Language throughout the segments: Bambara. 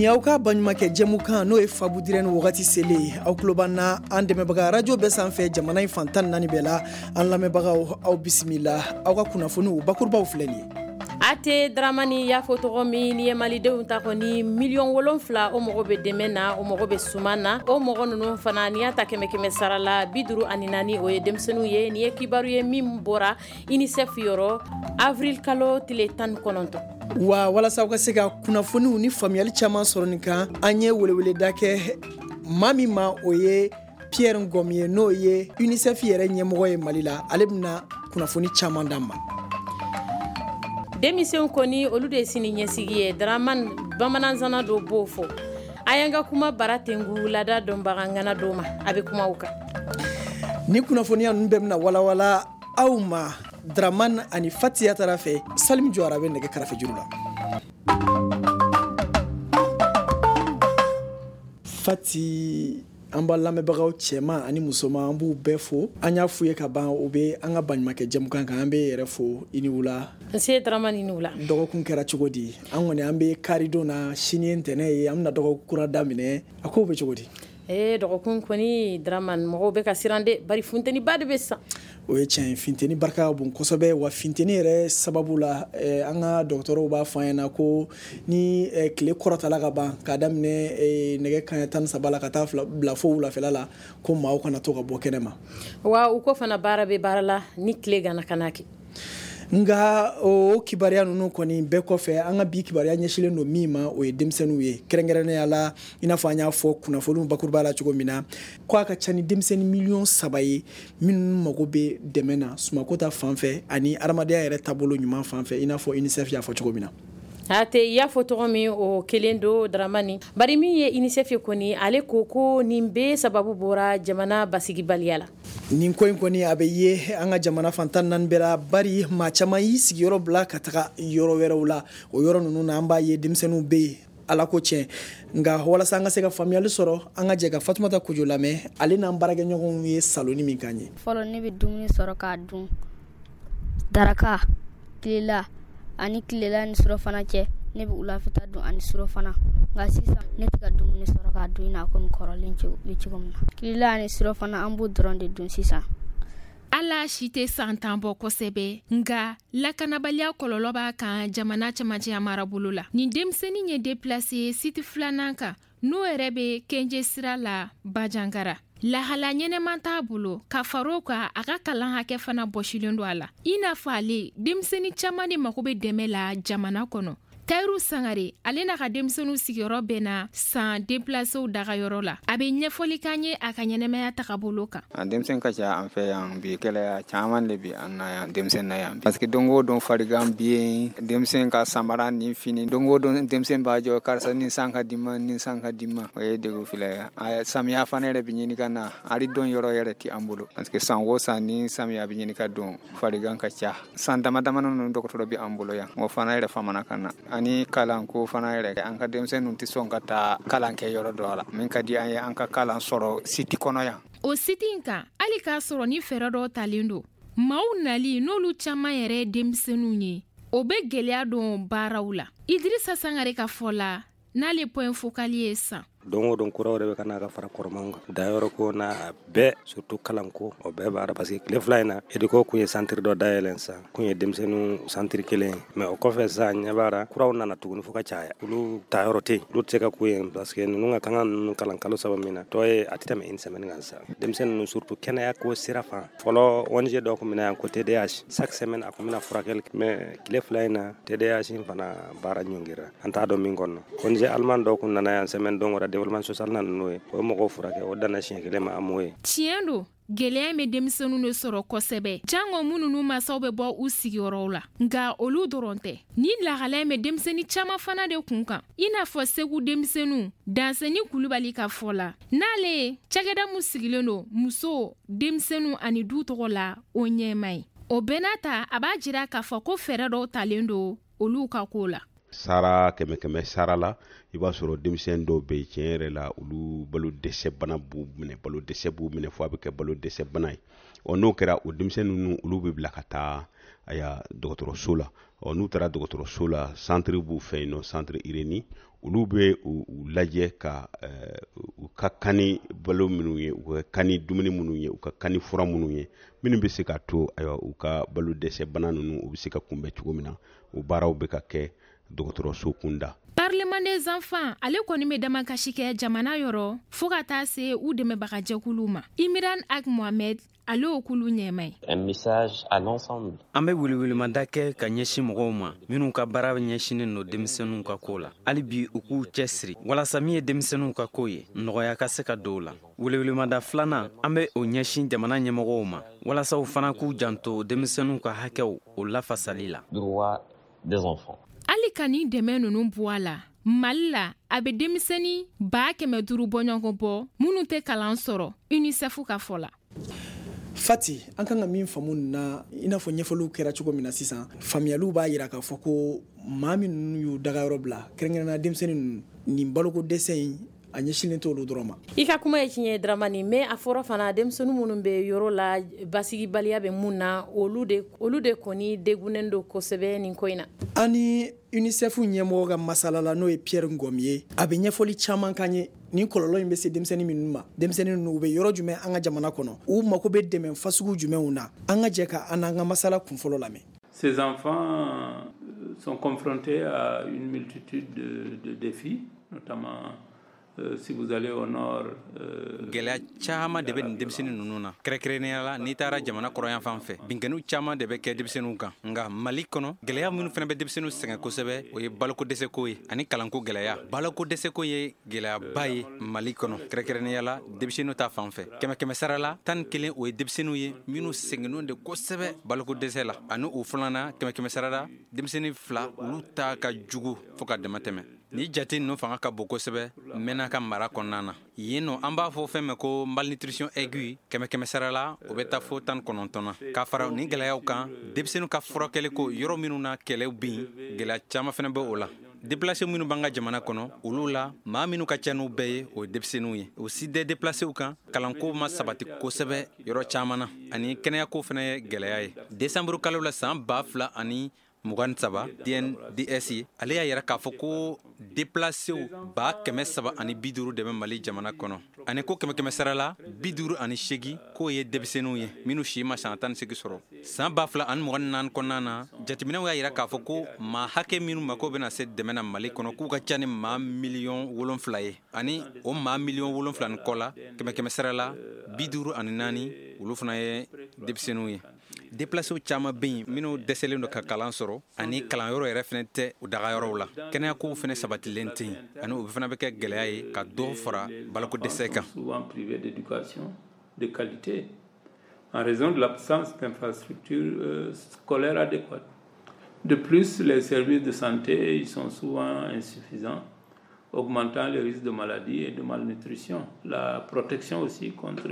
Nin y'aw ka baɲumankɛ jɛmukan, n'o ye Fabu Dirɛni wagati selen ye. Aw tulo b'an na an dɛmɛbaga radio bɛɛ sanfɛ, jamana in fan 14 bɛɛ la. An lamɛnbagaw, aw bisimila. Aw ka kunnafoniw bakurubaw filɛ nin ye. A tɛ Dramani y'a fɔ tɔgɔ min, n'i ye malidenw ta kɔni 7 miliyɔn, o mɔgɔ bɛ dɛmɛ na, o mɔgɔ bɛ suman na. O mɔgɔ ninnu fana, n'i y'a ta kɛmɛ kɛmɛ sara la, 54, o ye denmisɛnninw ye. Nin ye kibaru ye min bɔra UNICEF yɔrɔ avril kalo tile 19. Wa walasa aw ka se ka kunnafoniw ni faamuyali caman sɔrɔ nin kan, an ye weleweleda kɛ maa min ma, o ye Pierre Ngom ye, n'o ye UNICEF yɛrɛ ɲɛmɔgɔ ye Mali la. Ale bɛna kunnafoni caman d'an ma. Denmisɛnw kɔni, olu de ye sini ɲɛsigi ye. Dramani, bamananzana dɔ b'o fɔ. A y'an ka kuma bara tengu laada dɔnbaga ŋana dɔ ma, a bɛ kuma o kan. Ni kunnafoniya ninnu bɛɛ bɛna walawala aw ma Dramane ani Fatiya tara fɛ. Salim Jɔra bɛ nɛgɛ karafe juru la. Fati, an b'a lamɛnbagaw cɛman ani musoman, an b'u bɛɛ fo. An y'a f'u ye ka ban, u bɛ an ka baɲumankɛ jɛmukan kan. An bɛ yɛrɛ fo, i ni wula. Nse Dramani, ni wula. Dɔgɔkun kɛra cogo di? An kɔni, an bɛ karidon na, sini ye ntɛnɛn ye, an bɛna dɔgɔkun kura daminɛ. A kow bɛ cogo di? Ee, dɔgɔkun kɔni, Dramani, mɔgɔw bɛ ka siran de, bari funteniba de bɛ san. O ye tiɲɛ ye, funteni barika ka bon kosɛbɛ. Wa funteni yɛrɛ sababu la, an ka dɔgɔtɔrɔw b'a fɔ an ɲɛna ko ni tile kɔrɔtala ka ban, k'a daminɛ nɛgɛ kanɲɛ 13 la ka taa bila fo wulafɛla la, ko maaw kana to ka bɔ kɛnɛ ma. Wa u ko fana, baara bɛ baara la, ni tile gana, kana kɛ. Nka o kibaruya ninnu kɔni bɛɛ kɔfɛ, an ka bi kibaruya ɲɛsinnen don min ma, o ye denmisɛnninw ye, kɛrɛnkɛrɛnnenya la, i n'a fɔ an y'a fɔ kunnafoniw bakuruba la cogo min na, ko a ka ca ni denmisɛnnin 3 miliyɔn ye minnu mago bɛ dɛmɛ na sumako ta fan fɛ ani adamadenya yɛrɛ taabolo ɲuman fan fɛ, i n'a fɔ UNICEF y'a fɔ cogo min na. A tɛ i y'a fɔ tɔgɔ min, o kelen don, Dramani. Bari min ye UNICEF ye kɔni, ale ko ko nin bɛɛ sababu bɔra jamana basigibaliya la. Nin ko in kɔni, a bɛ ye an ka jamana fan 14 bɛɛ la, bari maa caman y'i sigiyɔrɔ bila ka taga yɔrɔ wɛrɛw la. O yɔrɔ ninnu na, an b'a ye denmisɛnninw bɛ yen, ala ko tiɲɛ. Nka walasa an ka se ka faamuyali sɔrɔ, an ka jɛ ka Fatumata Kojo lamɛn, ale n'an baarakɛɲɔgɔnw ye saloni min k'an ye. Fɔlɔ, ne bɛ dumuni sɔrɔ k'a dun daraka, tilela ani tilela ni surɔfana cɛ. Ne bɛ wulafɛta dun ani surɔfana. Nka sisan, ne tɛ ka dumuni sɔrɔ k'a dun i n'a komi kɔrɔlen bɛ cogo min na. Tilela ani surɔfana, an b'o dɔrɔn de dun sisan. Ala si tɛ san 10 bɔ kosɛbɛ, nga lakanabaliya kɔlɔlɔ b'a kan jamana camancɛya marabolo la. Nin denmisɛnnin ye déplacé site filanan kan, n'o yɛrɛ bɛ Kenje sira la, Bajangara. Lahala ɲɛnɛman t'a bolo. Ka far'o kan, a ka kalan hakɛ fana bɔsilen don a la. I n'a fɔ ale, denmisɛnnin caaman de mago bɛ dɛmɛ la jamana kɔnɔ. Tayiru Sangare, ale n'a ka denmisɛnninw sigiyɔrɔ bɛnna san déplacéw dagayɔrɔ la. A bɛ ɲɛfɔli k'an ye a ka ɲɛnɛmaya tagabolo kan. A denmisɛn ka ca an fɛ yan bi. Gɛlɛya caman de bi an na yan, denmisɛn na yan, parce que don o don farigan bi yen. Denmisɛn ka samara ni fini, don o don denmisɛn b'a jɔ: karisa, nin san ka di ma, nin san ka di ma. O ye degun filɛ ye. Samiya fana yɛrɛ bi ɲini ka na, hali don yɔrɔ yɛrɛ ti an bolo, parce que san o san ni samiya bi ɲini ka don, farigan ka ca. San dama dama ninnu, dɔgɔtɔrɔ bi an bolo yan, o fana yɛrɛ famana ka na. Ani kalanko fana yɛrɛ, an ka denmisɛnninw tɛ sɔn ka taa kalan kɛ yɔrɔ dɔ la. Min ka di an ye, an ka kalan sɔrɔ site kɔnɔ yan. O site in kan, hali k'a sɔrɔ ni fɛɛrɛ dɔw talen don, maaw nali n'olu caaman yɛrɛ ye denmisɛnninw ye, o bɛ gwɛlɛya don baaraw la. Idirisa Sangare ka fɔ la, n'ale point focal ye san. Don o don, kuraw de bɛ ka na ka fara kɔrɔmanw kan. Dayɔrɔ ko n'a bɛɛ, surtout kalanko, o bɛɛ b'a la, parce que tile 2 in na, EDUCO kun ye centre dɔ dayɛlɛn sisan, kun ye denmisɛnninw centre kelen ye. Mais o kɔfɛ sisan, ɲɛ b'a la kuraw nana tuguni fo ka caya. Olu tayɔrɔ tɛ yen, olu tɛ se ka ku yen, parce que ninnu ka kan ka ninnu kalan kalo 3 min na, tɔ ye a tɛ tɛmɛ une semaine kan sisan. Denmisɛnnin ninnu, surtout kɛnɛya ko sira fan, fɔlɔ ONG dɔ kun bɛ na yan ko TDH, chaque semaine a kun bɛna furakɛli. Mais tile 2 in na, TDH in fana baara ɲɔngirira, an t'a dɔn min kɔnɔ. ONG allemand dɔ kun nana yan semaine don wɛrɛ, développement social nana n'o ye, o ye mɔgɔw furakɛ, o danna siɲɛ kelen ma, an m'o ye. Tiɲɛ don, gwɛlɛya bɛ denmisɛnninw de sɔrɔ kosɛbɛ, jango minnu n'u masaw bɛ bɔ u sigiyɔrɔw la. Nka olu dɔrɔn tɛ, ni lahalaya bɛ denmisɛnnin caaman fana de kun kan, i n'a fɔ Segu denmisɛnninw. Danseni Kulubali ka fɔ la, n'ale ye cakɛda mun sigilen don muso, denmisɛnninw ani du tɔgɔ la, o ɲɛma ye. O bɛɛ n'a ta, a b'a jira k'a fɔ ko fɛɛrɛ dɔw talen don olu ka ko la. Sara kɛmɛ kɛmɛ sara la, i b'a sɔrɔ denmisɛn dɔw bɛ yen, tiɲɛ yɛrɛ la, olu balo dɛsɛ bana b'u minɛ, balo dɛsɛ b'u minɛ fo a bɛ kɛ balo dɛsɛ bana ye. Ɔ, n'o kɛra, o denmisɛn ninnu, olu bɛ bila ka taa aya dɔgɔtɔrɔso la. Ɔ, n'u taara dɔgɔtɔrɔso la, centre b'u fɛ yen nɔ, centre Ireni. Olu bɛ u lajɛ ka u ka kan ni balo minnu ye, u ka kan ni dumuni minnu ye, u ka kan ni fura minnu ye, minnu bɛ se ka to, ayiwa, u ka balo dɛsɛ bana ninnu, u bɛ se ka kunbɛn cogo min na. O baaraw bɛ ka kɛ dɔgɔtɔrɔso kunda. Parlement des enfants, ale kɔni bɛ damakasi kɛ jamana yɔrɔ fɔɔ ka taa se u dɛmɛbagajɛkuluw ma. Imiran Ag Mohamed, ale o kulu ɲɛma ye. Un message à l'ensemble. An bɛ welewelemada kɛ ka ɲɛsin mɔgɔw ma minnu ka baara ɲɛsinnen don denmisɛnninw ka ko la. Hali bi, u k'u cɛsiri walasa min ye denmisɛnninw ka ko ye, nɔgɔya ka se ka don o la. Welewelemada filanan, an bɛ o ɲɛsin jamana ɲɛmɔgɔw ma walasa u fana k'u janto denmisɛnninw ka hakɛw o lafasali la. Droit des enfants. Hali ka nin dɛmɛ ninnu bɔ a la, Mali la, a bɛ denmisɛnnin 500 000 bɔɲɔgɔn bɔ minnu tɛ kalan sɔrɔ, UNICEF ka fɔ la. Fati, an kan ka min faamu nin na, i n'a fɔ ɲɛfɔliw kɛra cogo min na sisan, faamuyaliw b'a yira k'a fɔ ko maa minnu y'u dagayɔrɔ bila, kɛrɛnkɛrɛnnenya denmisɛnnin ninnu, nin baloko dɛsɛ in, a ɲɛsinnen t'olu dɔrɔn ma. I ka kuma ye tiɲɛ ye, Dramani, mais a fɔra fana, denmisɛnnin minnu bɛ yɔrɔ la, basigibaliya bɛ mun na, olu de kɔni degunnen don kosɛbɛ nin ko in na. An ni UNICEF ɲɛmɔgɔ ka masala la, n'o ye Pierre Ngom ye, a bɛ ɲɛfɔli caman kan ye nin kɔlɔlɔ in bɛ se denmisɛnnin minnu ma, denmisɛnnin ninnu, u bɛ yɔrɔ jumɛn an ka jamana kɔnɔ, u mako bɛ dɛmɛ fasugu jumɛnw na. An ka jɛ ka an n'an ka masala kunfɔlɔ lamɛn. Ces enfants sont confrontés à une multitude de défis, notamment si vous allez au nord. Gɛlɛya caman de bɛ nin denmisɛnnin ninnu na, kɛrɛnkɛrɛnnenya la n'i taara jamana kɔrɔyan fan fɛ, binkanniw caman de bɛ kɛ denmisɛnninw kan. Nka Mali kɔnɔ, gɛlɛya minnu fana bɛ denmisɛnninw sɛgɛn kosɛbɛ, o ye baloko dɛsɛko ye ani kalanko gɛlɛya. Baloko dɛsɛko ye gɛlɛyaba ye Mali kɔnɔ, kɛrɛnkɛrɛnnenya la denmisɛnninw ta fan fɛ. Kɛmɛ kɛmɛ sara la, 11, o ye denmisɛnninw ye minnu sɛgɛnnen de kosɛbɛ baloko dɛsɛ la. Ani o filanan, kɛmɛ kɛmɛ sara la, denmisɛnnin 2, olu ta ka jugu fɔɔ ka dama tɛmɛ. Ni jate ninnu fanga ka bon kosɛbɛ Mɛnaka mara kɔnɔna na. Yen nɔ, an b'a fɔ fɛn min ko malnutrition aiguë, kɛmɛ kɛmɛ sara la, o bɛ taa fo 19 na. K'a fara nin gɛlɛyaw kan, denmisɛnninw ka furakɛli ko, yɔrɔ minnu na kɛlɛw bin, gɛlɛya caman fana bɛ o la. Déplacé minnu b'an ka jamana kɔnɔ, olu la maa minnu ka ca n'u bɛɛ ye, o ye denmisɛnninw ye. O si tɛ déplacéw kan, kalanko ma sabati kosɛbɛ yɔrɔ caman na, ani kɛnɛyako fana ye gɛlɛya ye. Desanburu kalo la san 2023, DNDS ale y'a yira k'a fɔ ko déplacéw 350 000 de bɛ Mali jamana kɔnɔ, ani ko kɛmɛ kɛmɛ sara la, 58, k'o ye denmisɛnninw ye minnu si ma san 18 sɔrɔ. San 2024 kɔnɔna na, jateminɛw y'a yira k'a fɔ ko maa hakɛ minnu mako bɛna se dɛmɛ na Mali kɔnɔ, k'u ka ca ni maa miliyɔn 7 ye. Ani o maa miliyɔn 7 ni kɔ la, kɛmɛ kɛmɛ sara la, 54, olu fana ye denmisɛnninw ye. Déplacéw caman bɛ yen minnu dɛsɛlen don ka kalan sɔrɔ, ani kalanyɔrɔ yɛrɛ fana tɛ u dagayɔrɔw la. Kɛnɛyakow fana sabatilen tɛ yen, ani o fana bɛ kɛ gɛlɛya ye ka dɔ fara baloko dɛsɛ kan. Souvent privés d'éducation de qualité en raison de l'absence d'infrastructures scolaires adéquates. De plus, les services de santé ils sont souvent insuffisants, augmentant les risques de maladie et de malnutrition. La protection aussi contre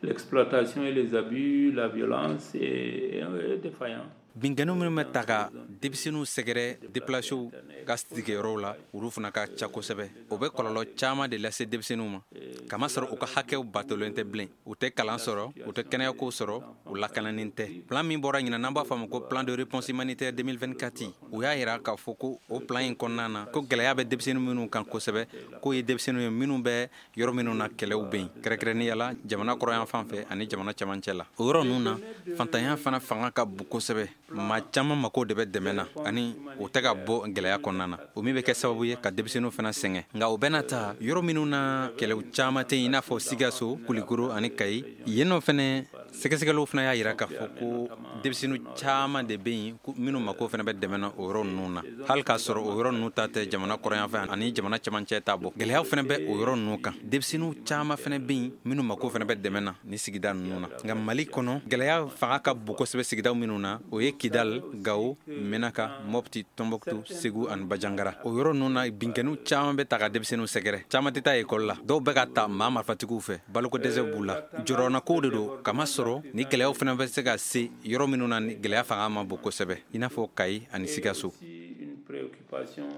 l'exploitation et les abus, la violence est défaillant. Binkanni minnu bɛ ta ka denmisɛnninw sɛgɛrɛ déplacéw ka sigiyɔrɔw la, olu fana ka ca kosɛbɛ. O bɛ kɔlɔlɔ caman de lase denmisɛnninw ma, kamasɔrɔ u ka hakɛw batolen tɛ bilen, u tɛ kalan sɔrɔ, u tɛ kɛnɛyako sɔrɔ, u lakananen tɛ. Plan min bɔra ɲinan, n'an b'a fɔ a ma ko plan de réponse humanitaire 2024, u y'a yira k'a fɔ ko o plan in kɔnɔna na, ko gɛlɛya bɛ denmisɛnnin minnu kan kosɛbɛ, k'o ye denmisɛnninw ye minnu bɛ yɔrɔ minnu na kɛlɛw bɛ yen, kɛrɛnkɛrɛnnenya la jamana kɔrɔyan fan fɛ ani jamana camancɛ la. O yɔrɔ ninnu na, fantanya fana fanga ka bon kosɛbɛ. Maa caman mako de bɛ dɛmɛ na, ani o tɛ ka bɔ gɛlɛya kɔnɔna na, o min bɛ kɛ sababu ye ka denmisɛnninw fana sɛgɛn. Nka o bɛɛ n'a ta, yɔrɔ minnu na kɛlɛw caman tɛ yen, i n'a fɔ Sikaso, Kulikoro ani Kayi, yen nɔ fɛnɛ, sɛgɛsɛgɛliw fana y'a yira k'a fɔ ko denmisɛnnin caman de bɛ yen minnu mako fana bɛ dɛmɛ na o yɔrɔ ninnu na, hali k'a sɔrɔ o yɔrɔ ninnu ta tɛ jamana kɔrɔyan fɛ ani jamana camancɛ ta bɔ. Gɛlɛyaw fana bɛ o yɔrɔ ninnu kan. Denmisɛnninw caman fana bɛ yen minnu mako fana bɛ dɛmɛ na ni sigida ninnu na. Nka Mali kɔnɔ, gɛlɛya fanga ka bon kosɛbɛ sigidaw minnu na, o ye Kidal, Gawo, Menaka, Mopti, Tombouctou, Segu ani Bajangara. O yɔrɔ ninnu na, binkanniw caman bɛ ta ka denmisɛnninw sɛgɛrɛ. Caman tɛ taa ekɔli la, dɔw bɛ ka ta maa marifatigiw fɛ, baloko dɛsɛ b'u la, jɔrɔnakow de don, kamasɔrɔ ni gɛlɛyaw fana bɛ se ka se yɔrɔ minnu na ni gɛlɛya fanga ma bon kosɛbɛ, i n'a fɔ Kayi ani Sikaso. Une préoccupation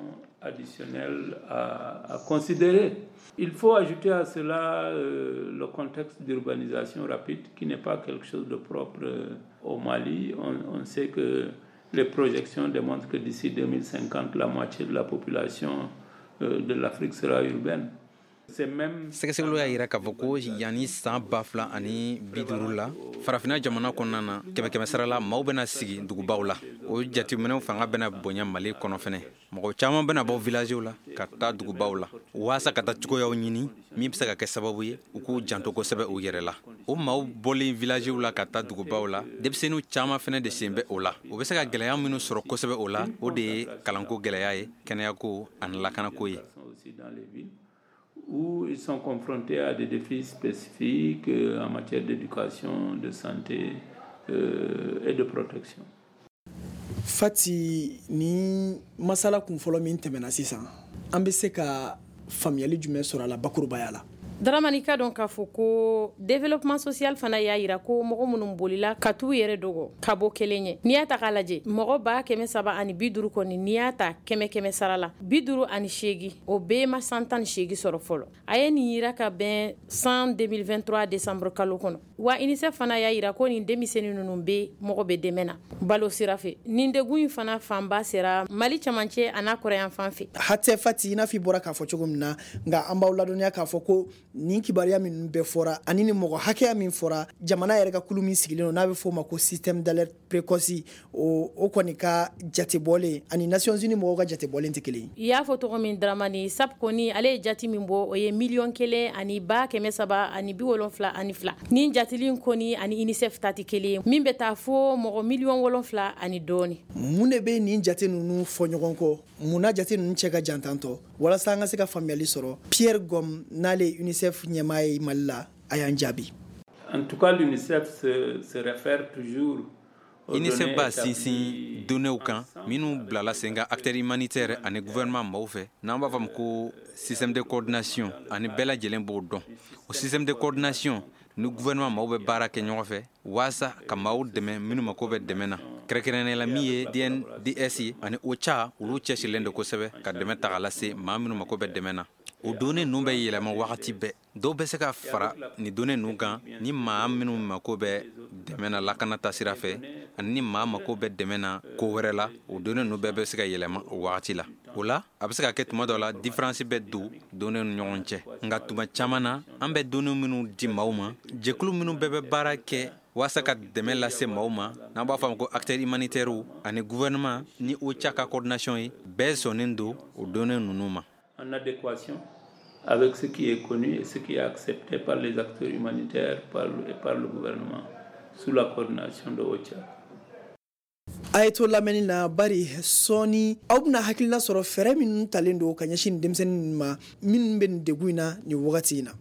additionnelle à considérer. Il faut ajouter à cela le contexte d'urbanisation rapide qui n'est pas quelque chose de propre au Mali. On sait que les projections démontrent que d'ici 2050, la moitié de la population de l'Afrique sera urbaine. Sɛgɛsɛgɛliw y'a yira k'a fɔ ko yanni san 2050 la, farafinna jamana kɔnɔna na, kɛmɛ sara la, maaw bɛna sigi dugubaw la. O jateminɛw fanga bɛna bonya Mali kɔnɔ fɛnɛ. Mɔgɔ caman bɛna bɔ villagew la ka taa dugubaw la waasa ka taa cogoyaw ɲini min bɛ se ka kɛ sababu ye u k'u janto kosɛbɛ u yɛrɛ la. O maaw bɔlen villagew la ka taa dugubaw la, denmisɛnninw caman fɛnɛ de sen bɛ o la. U bɛ se ka gɛlɛya minnu sɔrɔ kosɛbɛ o la, o de ye kalanko gɛlɛya ye, kɛnɛyako ani lakanako ye. Où ils sont confrontés à des défis spécifiques en matière d'éducation, de santé et de protection. Fati, ni masala kun fɔlɔ min tɛmɛna sisan, an bɛ se ka faamuyali jumɛn sɔrɔ a la bakurubaya la? Dramani, ka dɔn k'a fɔ ko développement social fana y'a yira ko mɔgɔ minnu bolila ka t'u yɛrɛ dogo ka bɔ kelen ye, n'i y'a ta k'a lajɛ, mɔgɔ 350 kɔni, n'i y'a ta kɛmɛ kɛmɛ sara la, 58, o bɛɛ ma san 18 sɔrɔ fɔlɔ. A ye nin yira ka bɛn san 2023 décembre kalo kɔnɔ. Wa UNICEF fana y'a yira ko nin denmisɛnnin ninnu bɛ mɔgɔ bɛ dɛmɛ na balo sira fɛ. Nin degun in fana fanba sera Mali cɛmancɛ a n'a kɔrɔyan fan fɛ. Hatɛ Fati, i n'a fɔ i bɔra k'a fɔ cogo min na, nka an b'aw ladɔnniya k'a fɔ ko nin kibaruya minnu bɛɛ fɔra ani ni mɔgɔ hakɛya min fɔra, jamana yɛrɛ ka kulu min sigilen don n'a bɛ f'o ma ko système d'alerte précoce, o kɔni ka jatebɔlen ani Nations Unies mɔgɔw ka jatebɔlen tɛ kelen ye. I y'a fɔ cogo min Dramani, SAP kɔni ale ye jate min bɔ, o ye 1 372. Nin jateli kɔni ani UNICEF ta tɛ kelen ye, min bɛ taa fo mɔgɔ miliyɔn 7 ani dɔɔni. Mun de bɛ nin jate ninnu fɔ ɲɔgɔn kɔ? Mun na jate ninnu cɛ ka jan tantɔ? Walasa an ka se ka faamuyali sɔrɔ, Pierre Gom, n'ale ye UNICEF ɲɛmaa ye Mali la, a y'an jaabi. En tout cas, l'UNICEF se réfère toujours UNICEF b'a sinsin données kan minnu bilala sen kan acteurs humanitaires ani gouvernement maaw fɛ, n'an b'a fɔ ma ko système de coordination, ani bɛɛ lajɛlen b'o dɔn. O système de coordination ni gouvernement maaw bɛ baara kɛ ɲɔgɔn fɛ waasa ka maaw dɛmɛ minnu mako bɛ dɛmɛ na, kɛrɛnkɛrɛnnenya la min ye DNDS ye ani OCHA, olu cɛsirilen don kosɛbɛ ka dɛmɛ ta k'a lase maa minnu mako bɛ dɛmɛ na. O données ninnu bɛ yɛlɛma wagati bɛɛ. Dɔw bɛ se ka fara nin données ninnu kan ni maa minnu mako bɛ dɛmɛ na lakana ta sira fɛ, ani ni maa mako bɛ dɛmɛ na ko wɛrɛ la. O données ninnu bɛɛ bɛ se ka yɛlɛma o wagati la. O la, a bɛ se ka kɛ tuma dɔ la différence bɛ don données ni ɲɔgɔn cɛ, nka tuma caman na, an bɛ données minnu di maaw ma, jɛkulu minnu bɛɛ bɛ baara kɛ waasa ka dɛmɛ lase maaw ma, n'an b'a fɔ a ma ko acteurs humanitaires, ani gouvernement ni OCHA ka coordination ye, bɛɛ sɔnnen don o données ninnu ma. En adéquation avec ce qui est connu et ce qui est accepté par les acteurs humanitaires et par le gouvernement sous la coordination de OCHA. A ye to lamɛnni na, bari sɔɔni aw bɛna hakilina sɔrɔ fɛɛrɛ minnu talen don ka ɲɛsin nin denmisɛnnin ninnu ma minnu bɛ nin degun in na nin wagati in na.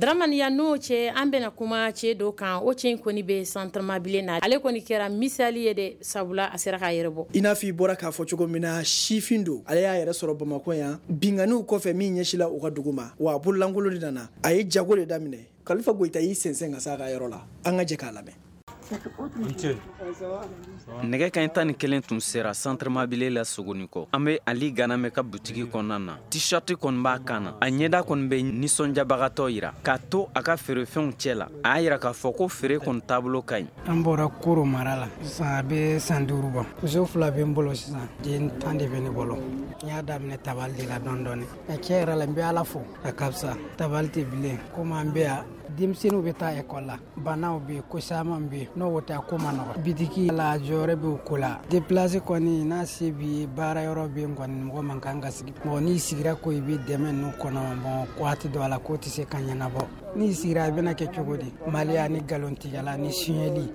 Dramani, ya n'o cɛ, an bɛna kuma cɛ dɔ kan. O cɛ in kɔni bɛ centre Mabilen na. Ale kɔni kɛra misali ye dɛ, sabula a sera k'a yɛrɛ bɔ. I n'a fɔ i bɔra k'a fɔ cogo min na, sifin don. Ale y'a yɛrɛ sɔrɔ Bamakɔ yan binganiw kɔfɛ min ɲɛsila u ka dugu ma, wa a bololankolon de nana. A ye jago de daminɛ. Kalifa Goyita y'i sɛnsɛn ka s'a ka yɔrɔ la. An ka jɛ k'a lamɛn. Nɛgɛ kaɲɛ 11 tun sera centre Mabile la Sogoni kɔ. An be Ali Ganamɛ ka butigi kɔnɔna na. T-shirt kɔni b'a kan na, a ɲɛda kɔni bɛ nisɔndiyabagatɔ yira k'a to a ka feerefɛnw cɛ la. A y'a yira k'a fɔ ko feere kɔni taabolo ka ɲi. An bɔra Koro mara la sisan, a bɛ san 5 bɔ. Muso fila bɛ n bolo sisan, den 10 de bɛ ne bolo. N y'a daminɛ tabali de la dɔɔni dɔɔni. A tiɲɛ yɛrɛ la, n bɛ Ala fo, a ka fisa tabali tɛ bilen. Komi an bɛ yan, denmisɛnninw bɛ taa ekɔli la, banaw bɛ yen, ko caman bɛ yen, n'o tɛ, a ko ma nɔgɔ. Bitiki la, jɔyɔrɔ bɛ o ko la. Déplacé kɔni, n'a se b'i ye, baara yɔrɔ bɛ yen kɔni, mɔgɔ man kan ka sigi. Mɔgɔ n'i sigira ko i bɛ dɛmɛ ninnu kɔnɔ, bɔn, waati dɔ la ko tɛ se ka ɲɛnabɔ. N'i sigira, a bɛna kɛ cogo di? Maliya ni nkalontigɛla ni suyɛli,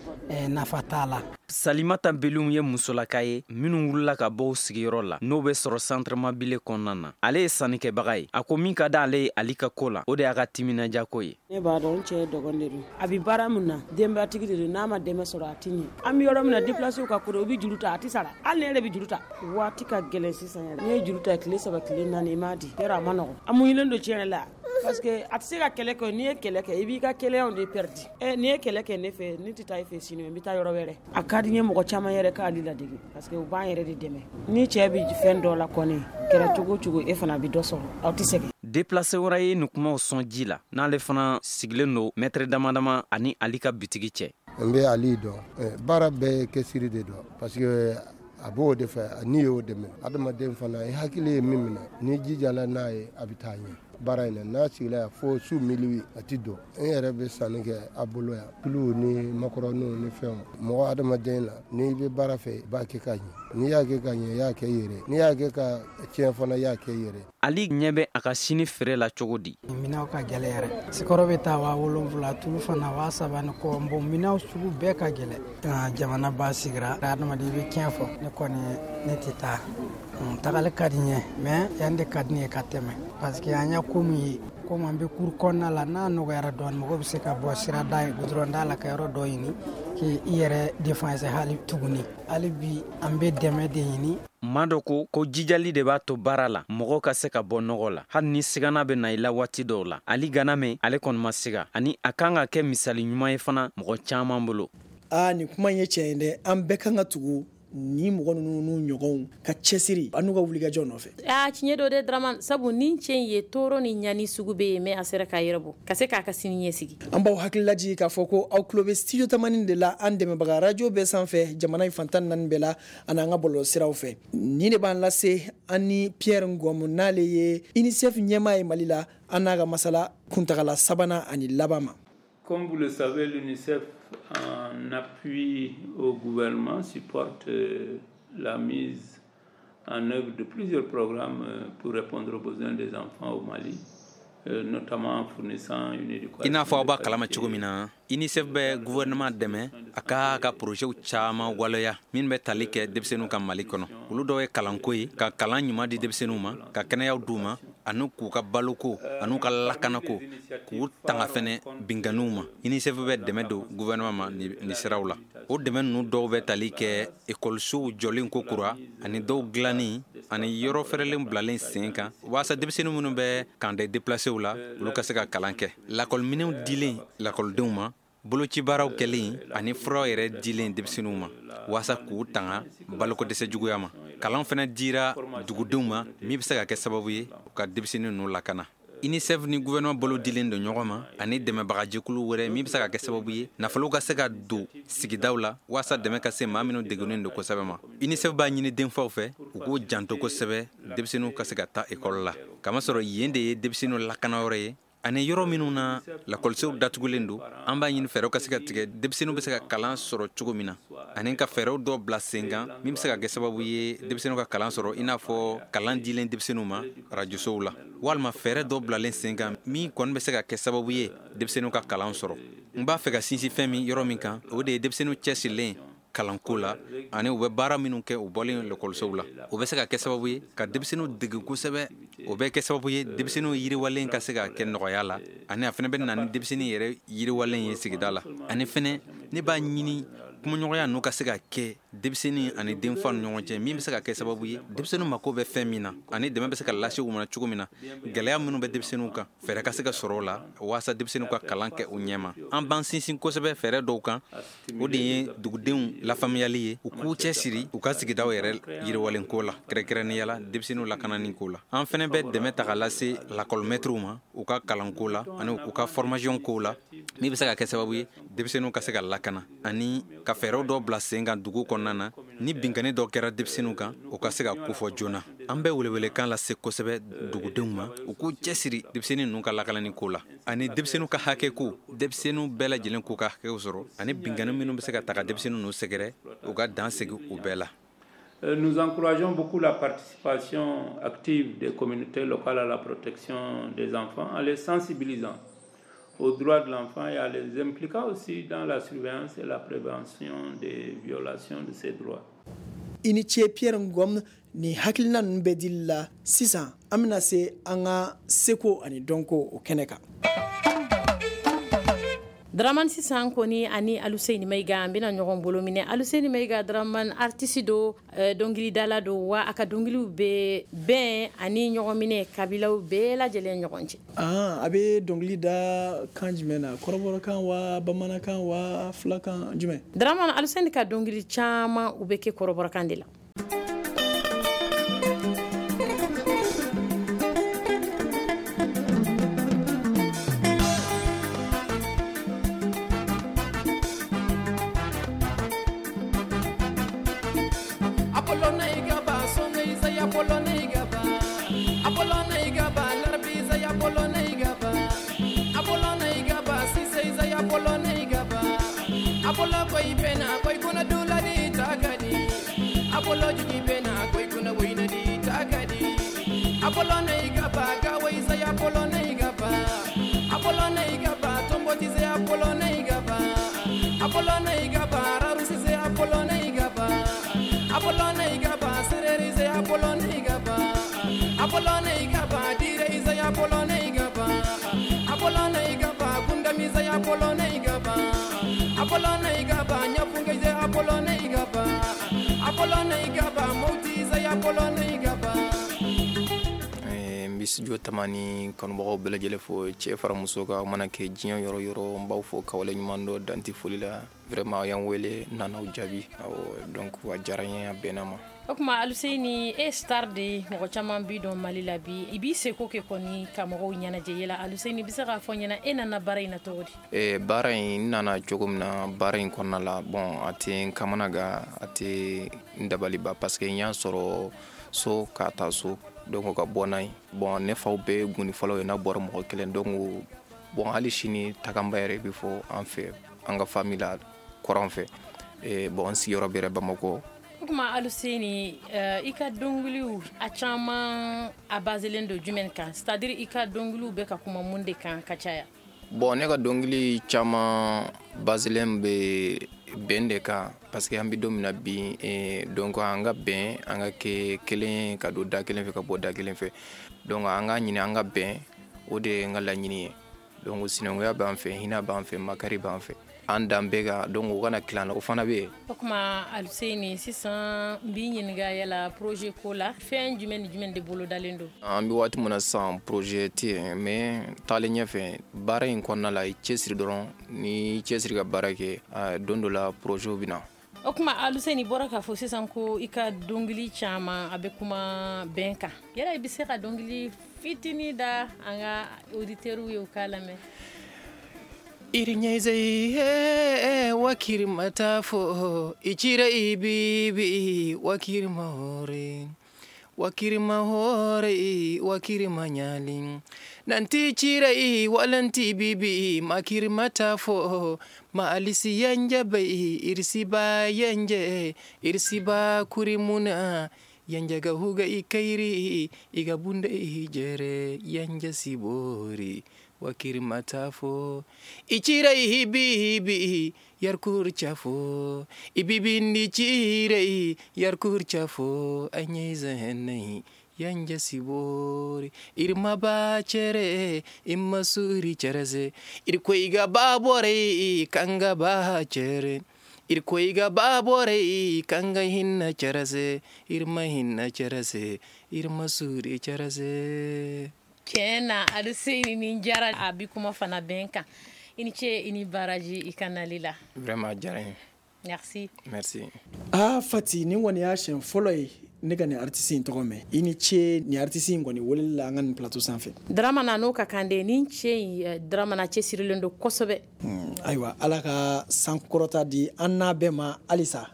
nafa t'a la. Salimata Belum ye musolaka ye minnu wulila ka bɔ u sigiyɔrɔ la, n'o bɛ sɔrɔ centre Mabile kɔnɔna na. Ale ye sannikɛbaga ye. A ko min ka di ale ye Ali ka ko la, o de y'a ka timinajako ye. Ne b'a dɔn, n cɛ ye dɔgɔn de don. A bɛ baara min na, denbatigi de don. N'a ma dɛmɛ sɔrɔ, a tɛ ɲɛ. An bɛ yɔrɔ min na, déplacé ka ko u bɛ juru ta, a tɛ sara. Hali ne yɛrɛ bɛ juru ta. Waati ka gɛlɛn sisan yɛrɛ. N'i ye juru ta tile 3, tile 4, i m'a di, yɔrɔ a ma nɔgɔn. A muɲunen don tiɲɛ yɛrɛ la, parce que a tɛ se ka kɛlɛ kɛ. N'i ye kɛlɛ kɛ, i b'i ka kɛlɛyaw de perdu. Ɛ, n'i ye kɛlɛ kɛ ne fɛ, ne tɛ taa e fɛ sini, n bɛ taa yɔrɔ wɛrɛ. A ka di n ye mɔgɔ caman yɛrɛ k'ale ladege, parce que u b'an yɛrɛ de dɛmɛ. Ni cɛ bɛ fɛn dɔ la kɔni, kɛra cogo o cogo, e fana bɛ dɔ sɔrɔ, aw tɛ sɛgɛn. Déplacé wɛrɛ ye nin kumaw sɔn ji la, n'ale fana sigilen don mɛtɛrɛ dama dama ani Ali ka bitigi cɛ. N bɛ Ali dɔn, baara bɛɛ ye cɛsiri de dɔn, parce que A b'o de fɛ, n'i y'o de minɛ. Adamaden fana, i hakili ye min minɛ, n'i jijala n'a ye, a bɛ taa ɲɛ. Baara in na, n'a sigila yan fo su minuit, a ti don. N yɛrɛ bɛ sanni kɛ a bolo yan, tuluw ni makɔrɔniw ni fɛnw. Mɔgɔ adamaden la, n'i bɛ baara fɛ, i b'a kɛ ka ɲɛ. N'i y'a kɛ ka ɲɛ, i y'a kɛ i yɛrɛ. N'i y'a kɛ ka tiɲɛ fana, i y'a kɛ i yɛrɛ. Ali ɲɛ bɛ a ka sini feere la cogo di? Minɛnw ka gɛlɛn yɛrɛ. Sikɔrɔ bɛ taa 7000, tulu fana 3000 ni kɔ. Bon, minɛnw sugu bɛɛ ka gɛlɛn. Jamana ba sigira, adamaden i bɛ tiɲɛ fɔ. Ne kɔni, ne tɛ taa. Tagali ka di n ye, mais yan de ka di ne ye ka tɛmɛ. Parce que an ye ko min ye, komi an bɛ kuru kɔnɔna la, n'a nɔgɔyara dɔɔnin, mɔgɔ bɛ se ka bɔ sirada ye, goudron da la, ka yɔrɔ dɔ ɲini k'i yɛrɛ défense hali tuguni. Hali bi an bɛ dɛmɛ de ɲini. Maa dɔ ko jijali de b'a to baara la mɔgɔ ka se ka bɔ nɔgɔ la, hali ni sigana bɛ na i la waati dɔw la. Ali Ganame, ale kɔni ma siga, ani a kan ka kɛ misali ɲuman ye fana mɔgɔ caman bolo. Aa, nin kuma in ye tiɲɛ ye dɛ. An bɛɛ kan ka tugu ni mɔgɔ ninnu n'u ɲɔgɔnw ka cɛsiri an n'u ka wulikajɔ nɔfɛ. Aa, tiɲɛ don dɛ Dramane, sabu ni cɛ in ye tɔɔrɔ ni ɲani sugu bɛ yen, mais a sera k'a yɛrɛ bɔ ka se k'a ka sini ɲɛsigi. An b'aw hakili lajigin k'a fɔ ko aw tulo bɛ studio Tamani de la, an dɛmɛbaga radio bɛɛ sanfɛ, jamana in fan 14 bɛɛ la, ani an ka bɔlɔlɔsiraw fɛ. Nin de b'an lase an ni Pierre Ngom, n'ale ye UNICEF ɲɛmaa ye Mali la, an n'a ka masala kuntagala sabanan ani laban ma. Comme vous le savez, l'UNICEF, en appui au gouvernement, supporte la mise en œuvre de plusieurs programmes pour répondre aux besoins des enfants au Mali, notamment en fournissant une éducation. I n'a fɔ aw b'a kalama cogo min na, UNICEF bɛ gouvernement dɛmɛ a ka projet caman waleya min bɛ tali kɛ denmisɛnninw ka Mali kɔnɔ. Olu dɔw ye kalanko ye, ka kalan ɲuman di denmisɛnninw ma, ka kɛnɛyaw d'u ma, ani k'u ka baloko an'u ka lakanako, k'u tanga fɛnɛ binkanniw ma. UNICEF bɛ dɛmɛ don gouvernement ma nin siraw la. O dɛmɛ ninnu dɔw bɛ tali kɛ ekɔlisow jɔlen ko kura, ani dɔw dilanni, ani yɔrɔ fɛrɛlen bilalen sen kan, walasa denmisɛnnin minnu bɛ camp de déplacés la, olu ka se ka kalan kɛ. Lakɔliminɛnw dilen lakɔlidenw ma, bolocibaaraw kɛlen ani furaw yɛrɛ dilen denmisɛnninw ma, walasa k'u tanga balokodɛsɛ juguya ma. Kalan fɛnɛ dira dugudenw ma min bɛ se ka kɛ sababu ye u ka denmisɛnnin ninnu lakana. UNICEF ni gouvernement bolo dilen don ɲɔgɔn ma, ani dɛmɛbagajɛkulu wɛrɛ min bɛ se ka kɛ sababu ye nafolo ka se ka don sigidaw la, walasa dɛmɛ ka se maa minnu degunnen don kosɛbɛ ma. UNICEF b'a ɲini denfaw fɛ u k'u janto kosɛbɛ denmisɛnninw ka se ka taa ekɔli la, kamasɔrɔ yen de ye denmisɛnninw lakanayɔrɔ ye, ani yɔrɔ minnu na lakɔlisow datugulen don. An b'a ɲini fɛɛrɛw ka se ka tigɛ denmisɛnninw bɛ se ka kalan sɔrɔ cogo min na, ani ka fɛɛrɛw dɔ bila sen kan min bɛ se ka kɛ sababu ye denmisɛnninw ka kalan sɔrɔ, i n'a fɔ kalan dilen denmisɛnninw ma arajosow la, walima fɛɛrɛ dɔ bilalen sen kan min kɔni bɛ se ka kɛ sababu ye denmisɛnninw ka kalan sɔrɔ. N b'a fɛ ka sinsin fɛn min yɔrɔ min kan, o de ye denmisɛnninw cɛsirilen kalanko la, ani u bɛ baara minnu kɛ u bɔlen lakɔlisow la. O bɛ se ka kɛ sababu ye ka denmisɛnninw dege kosɛbɛ, o bɛ kɛ sababu ye denmisɛnninw yiriwalen ka se ka kɛ nɔgɔya la, ani a fana bɛ na ni denmisɛnnin yɛrɛ yiriwalen ye sigida la. Ani fɛnɛ ne b'a ɲini kumaɲɔgɔnya ninnu ka se ka kɛ denmisɛnnin ani denfa ni ɲɔgɔn cɛ, min bɛ se ka kɛ sababu ye denmisɛnninw mako bɛ fɛn min na, ani dɛmɛ bɛ se ka lase u ma cogo min na, gɛlɛya minnu bɛ denmisɛnninw kan, fɛɛrɛ ka se ka sɔrɔ o la walasa denmisɛnninw ka kalan kɛ u ɲɛma. An b'an sinsin kosɛbɛ fɛɛrɛ dɔw kan, o de ye dugudenw lafaamuyali ye, u k'u cɛsiri u ka sigidaw yɛrɛ yiriwalen ko la, kɛrɛnkɛrɛnnenya la denmisɛnninw lakanani ko la. An fɛnɛ bɛ dɛmɛ ta ka lase lakɔlimɛtiriw ma u ka kalanko la ani u ka formation ko la, min bɛ se ka kɛ sababu ye denmisɛnninw ka se ka lakana, ani ka fɛɛrɛw dɔw bila sen kan dugu kɔnɔna na, ni binkanni dɔ kɛra denmisɛnninw kan, u ka se ka kofɔ joona. An bɛ welewelekan lase kosɛbɛ dugudenw ma, u k'u cɛsiri denmisɛnnin ninnu ka lakanani ko la, ani denmisɛnninw ka hakɛ ko, denmisɛnninw bɛɛ lajɛlen k'u ka hakɛw sɔrɔ, ani binkanni minnu bɛ se ka ta ka denmisɛnnin ninnu sɛgɛrɛ, u ka dan sigi u bɛɛ la. Nous encourageons beaucoup la participation active des communautés locales à la protection des enfants, en les sensibilisant aux droits de l'enfant et à les impliquant aussi dans la surveillance et la prévention des violations de ces droits. I ni ce Pierre Ngom, ni hakilina ninnu bɛɛ dili la. Sisan an bɛna se an ka seko ani dɔnko o kɛnɛ kan. Dramane, sisan kɔni ani Aluseni Mayiga an bɛna ɲɔgɔn bolo minɛ. Aluseni Mayiga, Dramane, artiste do, dɔnkilidala do, wa a ka dɔnkiliw bɛ bɛn ani ɲɔgɔn minɛ kabilaw bɛɛ lajɛlen ɲɔgɔn cɛ. A bɛ dɔnkili da kan jumɛn na? Kɔrɔbɔrɔkan wa, bamanankan wa, fulakan jumɛn? Dramane, Aluseni ka dɔnkili caman u bɛ kɛ kɔrɔbɔrɔkan de la. Bena koy kuna dulani takadi Apollo jigi bena koy kuna wainadi takadi Apollo na igaba gawai sai Apollo na igaba Apollo na igaba tomboti sai Apollo na igaba Apollo na igaba rarusi sai Apollo na igaba Apollo na igaba sereri sai Apollo na igaba Apollo na igaba dire sai Apollo na igaba Apollo na igaba gundami sai Apollo na igaba Apollo na igaba nyafunga sai Apollo na igaba Apollo na igaba mauti sai Apollo na igaba. N bɛ studio Tamani kanubagaw bɛɛ lajɛlen fo, cɛ fara muso kan, mana kɛ diɲɛ yɔrɔ yɔrɔ, n b'aw fo ka waleɲuman dɔn danti foli la. Vraiment aw y'an wele, n nana aw jaabi, awɔ, donc a diyara n ye, a bɛnna ma. O tuma Aluseni, e star de ye, mɔgɔ caman b'i dɔn Mali la bi, i b'i seko kɛ kɔni ka mɔgɔw ɲɛnajɛ yala. Aluseni, i bɛ se k'a fɔ n ɲɛna e nana baara in na cogo di? Baara in, n nana cogo min na baara in kɔnɔna la, bon a tɛ n kamana gan, a tɛ n dabaliba parce que n y'a sɔrɔ so k'a ta so, donc ka bɔ n'a ye. Bon ne faw bɛɛ ye gɔni fɔlɔ ye, n'a bɔra mɔgɔ kelen, donc bon hali sini takanba yɛrɛ bɛ fɔ an fɛ, an ka famille la kɔrɔn fɛ. Bon n sigiyɔrɔ bɛrɛ Bamakɔ. O tuma Aluseni, i ka dɔnkiliw a caman a baselen don jumɛn kan, c'est à dire i ka dɔnkiliw bɛ ka kuma mun de kan ka caya? Bon ne ka dɔnkili caman baselen bɛ bɛn de kan parce que an bɛ don min na bi, donc an ka bɛn, an ka kɛ kelen, ka don da kelen fɛ, ka bɔ da kelen fɛ, donc an ka ɲini an ka bɛn, o de ye n ka laɲini ye. Donc sinankunya b'an fɛ, hinɛ b'an fɛ, makari b'an fɛ, an dan bɛɛ kan, donc o kana tila an na, o fana bɛ yen. O tuma Aluseni, sisan n b'i ɲininka yala projet ko la, fɛn jumɛn ni jumɛn de bolodalen don? An bɛ waati min na sisan, projet tɛ yen, mais taalen ɲɛfɛ baara in kɔnɔna la, i cɛsiri dɔrɔn, ni cɛsiri ka baara kɛ, don dɔ la projet bɛ na. O tuma Aluseni, bɔra k'a fɔ sisan ko i ka dɔnkili caman a bɛ kuma bɛn kan, yala i bɛ se ka dɔnkili fitinin da an ka auditeurs ye u k'a lamɛn? Irinyeze wakiri matafo ichira ibibi wakiri mahore wakiri mahore wakiri manyali nanti chira i walanti bibi makiri matafo ma alisi yanja bai irisi ba yanje irisi ba kurimuna yanja ga huga ikairi igabunda ijere yanja sibori wakiri matafo ichira ihibibi yarkur chafo ibibindi chire yarkur chafo anyeza henai yanja sibori irma ba chere imma suri chereze irkoiga babore kanga ba chere irkoiga babore kanga hinna chereze irma hinna chereze irma suri chereze. Tiɲɛ na Aluseni, nin diyara, a bi kuma fana bɛn kan. I ni ce, i ni baraji i ka nali la. Vraiment a diyara n ye. Merci. Merci. Aa Fati, nin kɔni y'a siɲɛ fɔlɔ ye ne ka nin artiste in tɔgɔ mɛn. I ni ce nin artiste in kɔni weleli la an ka nin plateau sanfɛ. Dramana n'o ka kan de, nin cɛ in Dramana cɛsirilen don kosɛbɛ. Ayiwa, Ala ka sankɔrɔta di an n'a bɛɛ ma halisa.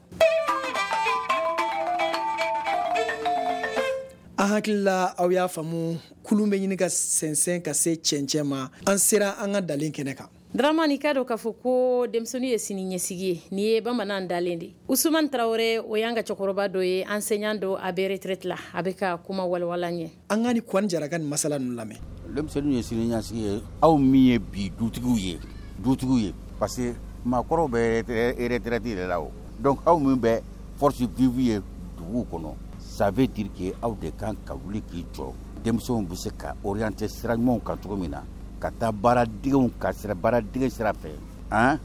An hakili la aw y'a faamu, kulun bɛ ɲini ka sɛnsɛn ka se cɛncɛn ma, an sera an ka dalen kɛnɛ kan. Dramani, k'a dɔn k'a fɔ ko denmisɛnnin ye sini ɲɛsigi ye, nin ye bamanan dalen de. Usumani Tarawele, o y'an ka cɛkɔrɔba dɔ ye, enseignant don, a bɛ retraite la, a bɛ ka kuma walawala ɲɛ. An ka ni Kwani Jara ka nin masala ninnu lamɛn. Denmisɛnnin ye sini ɲɛsigi ye, aw min ye bi dutigiw ye, parce que maakɔrɔw bɛ retraite de la o, donc aw min bɛ force vive ye dugu kɔnɔ, ça veut dire que aw de kan ka wuli k'i jɔ, denmisɛnw bɛ se ka orienter sira ɲumanw kan cogo min na, ka taa baaradegew ka sira baaradege sira fɛ, han,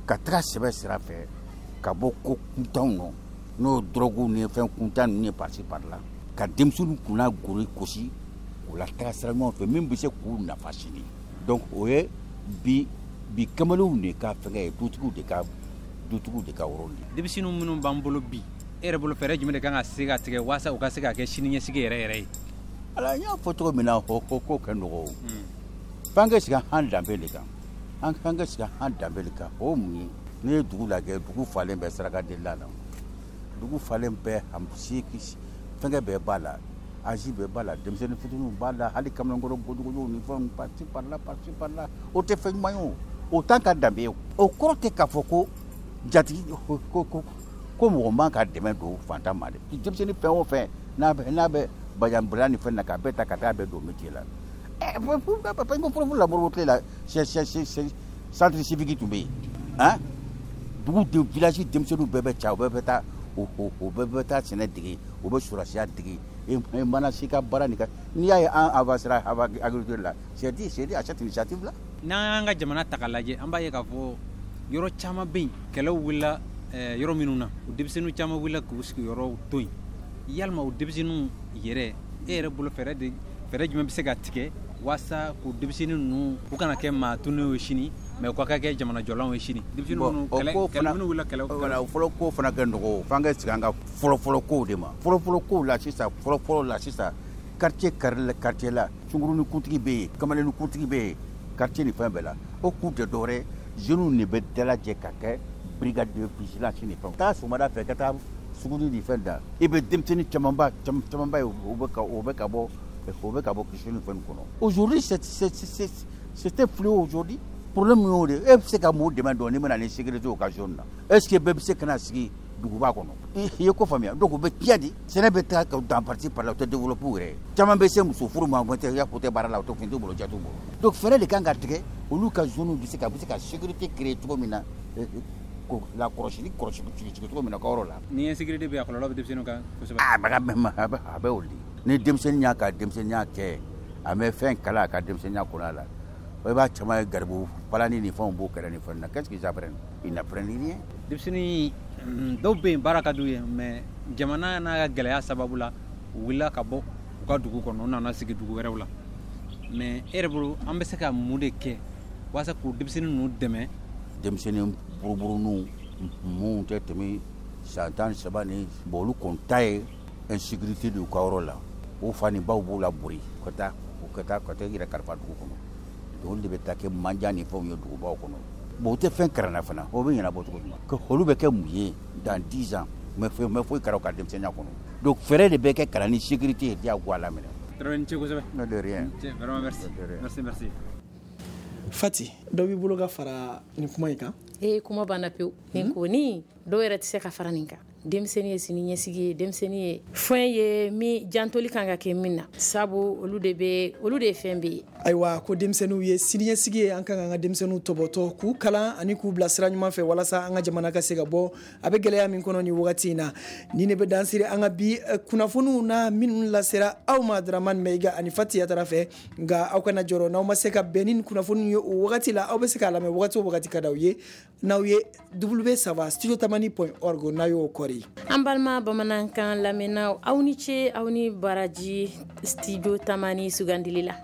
ka taga sɛbɛ sira fɛ, ka bɔ ko kuntanw nɔ, n'o drogue ni fɛn kuntan ninnu ye par-ci par-là, ka denmisɛnninw kunna gori gosi k'u la taga sira ɲumanw fɛ min bɛ se k'u nafa sini. Donc o ye bi kamalenw de ka fɛngɛ ye, dutigiw de ka rôle ye. Denmisɛnninw minnu b'an bolo bi, e yɛrɛ bolo fɛɛrɛ jumɛn de kan ka se ka tigɛ walasa u ka se ka kɛ sini ɲɛsigi yɛrɛ yɛrɛ ye? Ala, n y'a fɔ cogo min na, ko ko ka nɔgɔ o. F'an ka sigi an danbe de kan. An kan ka sigi an danbe de kan. O mun ye? N'i ye dugu lajɛ, dugu falen bɛ saraka delila la. Dugu falen bɛ fɛnkɛ bɛɛ b'a la, âge bɛɛ b'a la, denmisɛnnin fitininw b'a la, hali kamalenkɔrɔ gojugojuw ni fɛnw par-ci par-là, par-ci par-là. O tɛ fɛn ɲuman ye o. O t'an ka danbe ye o. O kɔrɔ tɛ k'a fɔ ko Jatigi ko ko mɔgɔ man ka dɛmɛ don fantan ma dɛ. Denmisɛnnin fɛn o fɛn n'a bɛ bajanbila ni fɛn na, k'a bɛɛ ta ka taa bɛɛ don métier la. Ko fɔlɔ la, Modibo tile la, centre civique tun bɛ yen. Han, dugu de, village denmisɛnninw bɛɛ bɛ ca, u bɛɛ bɛ taa, o bɛɛ bɛ taa sɛnɛ dege, u bɛ sɔrɔsiya dege. E mana si ka baara nin kan, n'i y'a ye an avancera agriculture la, c'est dû à cette initiative là. N'an y'an ka jamana ta k'a lajɛ, an b'a ye k'a fɔ yɔrɔ caman bɛ yen, kɛlɛw wulila yɔrɔ minnu na, o denmisɛnninw caman wulila k'u sigiyɔrɔw to yen. Yalima o denmisɛnninw yɛrɛ, e yɛrɛ bolo, fɛɛrɛ jumɛn bɛ se ka tigɛ walasa k'o denmisɛnnin ninnu, u kana kɛ maa tunnenw ye sini, mais u ka kɛ jamana jɔlanw ye sini, denmisɛnnin minnu kɛlɛ minnu wulila kɛlɛ? Voilà, fɔlɔ ko fana kɛ nɔgɔ, f'an ka segin an ka fɔlɔ-fɔlɔ kow de ma. Fɔlɔ-fɔlɔ kow la sisan, fɔlɔ-fɔlɔ la sisan, quartier kari quartier la, sunkurunin kuntigi bɛ yen, kamalennin kuntigi bɛ yen, quartier ni fɛn bɛɛ la. O kun tɛ dɔwɛrɛ, jeunes de bɛ dalajɛ ka kɛ brigade de vigilance ni fɛnw. Taa sɔgɔmada fɛ ka taa suguni ni fɛn da, i bɛ denmisɛnnin camanba camanba ye, o bɛ ka bɔ kisɛ ni fɛn kɔnɔ. Aujourd'hui, c'est un fléau. Aujourd'hui, problème y'o de, e bɛ se ka mun dɛmɛ dɔn n'i bɛna ni sécurité o ka zone na? Est ce que bɛɛ bɛ se ka na sigi duguba kɔnɔ? I ye ko faamuya. Donc u bɛ tiɲɛ di, sɛnɛ bɛ taa dans partie par là, u tɛ développer u yɛrɛ ye. Caman bɛ se muso furu ma, o tɛ ya, ko tɛ baara la, o tɛ fɛn t'u bolo, ja t'u bolo. Donc fɛɛrɛ de kan ka tigɛ, olu ka zone bɛ se ka sécurité créer cogo min na, la kɔlɔsili kɔlɔsi cogo min na ka yɔrɔ la. Ni insécurité bɛ yen, a kɔlɔlɔ bɛ denmisɛnninw kan kosɛbɛ. A bɛ o de. Ni denmisɛnnin y'a ka denmisɛnninya kɛ, a bɛ fɛn kala a ka denmisɛnninya kɔnɔ la, i b'a caman ye, garibu palani ni fɛnw b'o kɛrɛ ni fɛn na. Qu'est-ce qu'ils apprennent? Ils n'apprennent rien. Denmisɛnnin dɔw bɛ yen, baara ka d'u ye, mais jamana n'a ka gɛlɛya sababu la, u wulila ka bɔ u ka dugu kɔnɔ, u nana sigi dugu wɛrɛw la. Mais e yɛrɛ bolo, an bɛ se ka mun de kɛ walasa k'u denmisɛnnin ninnu dɛmɛ? Denmisɛnnin buruburuninw mun tɛ tɛmɛ san 13 ni bon, olu kɔni ta ye insécurité de y'u ka yɔrɔ la. O fa ni baw b'u la bori ka taa i yɛrɛ kalifa dugu kɔnɔ. Olu de bɛ taa kɛ manja ni fɛnw ye dugubaw kɔnɔ. Bon, u tɛ fɛn kalan na fana, o bɛ ɲɛnabɔ cogo jumɛn? Olu bɛ kɛ mun ye dans 10 ans? Mais foyi kɛra u ka denmisɛnninya kɔnɔ. Donc fɛɛrɛ de bɛ kɛ ka na ni sécurité ye diyagoya la minɛ. Traoré, ni ce kosɛbɛ. De rien. Vraiment, merci, merci, merci. Fati, dɔ b'i bolo ka fara nin kuma in kan? Ee, kuma banna pewu. Nin kɔni, dɔw yɛrɛ tɛ se ka fara nin kan. Denmisɛnnin ye sini ɲɛsigi ye, denmisɛnnin ye fɛn ye min jantoli kan ka kɛ min na, sabu olu de bɛ, olu de ye fɛn bɛɛ ye. Ayiwa, ko denmisɛnninw ye siniɲɛsigi ye, an kan k'an ka denmisɛnninw tɔbɔtɔ, k'u kalan ani k'u bila sira ɲuman fɛ, walasa an ka jamana ka se ka bɔ a bɛ gɛlɛya min kɔnɔ nin wagati in na. Ni ne bɛ dansiri an ka bi kunnafoniw na minnu lasera aw ma Dramane Mayiga ani Fati Yatara fɛ. Nka aw kana jɔrɔ, n'aw ma se ka bɛn ni kunnafoniw ye o wagati la, aw bɛ se k'a lamɛn wagati o wagati ka d'aw ye, n'aw ye w3 studiotamani.org, n'a y'o kɔri. An balima bamanankan lamɛnnaw, aw ni ce, aw ni baraji Studio Tamani sugandili la.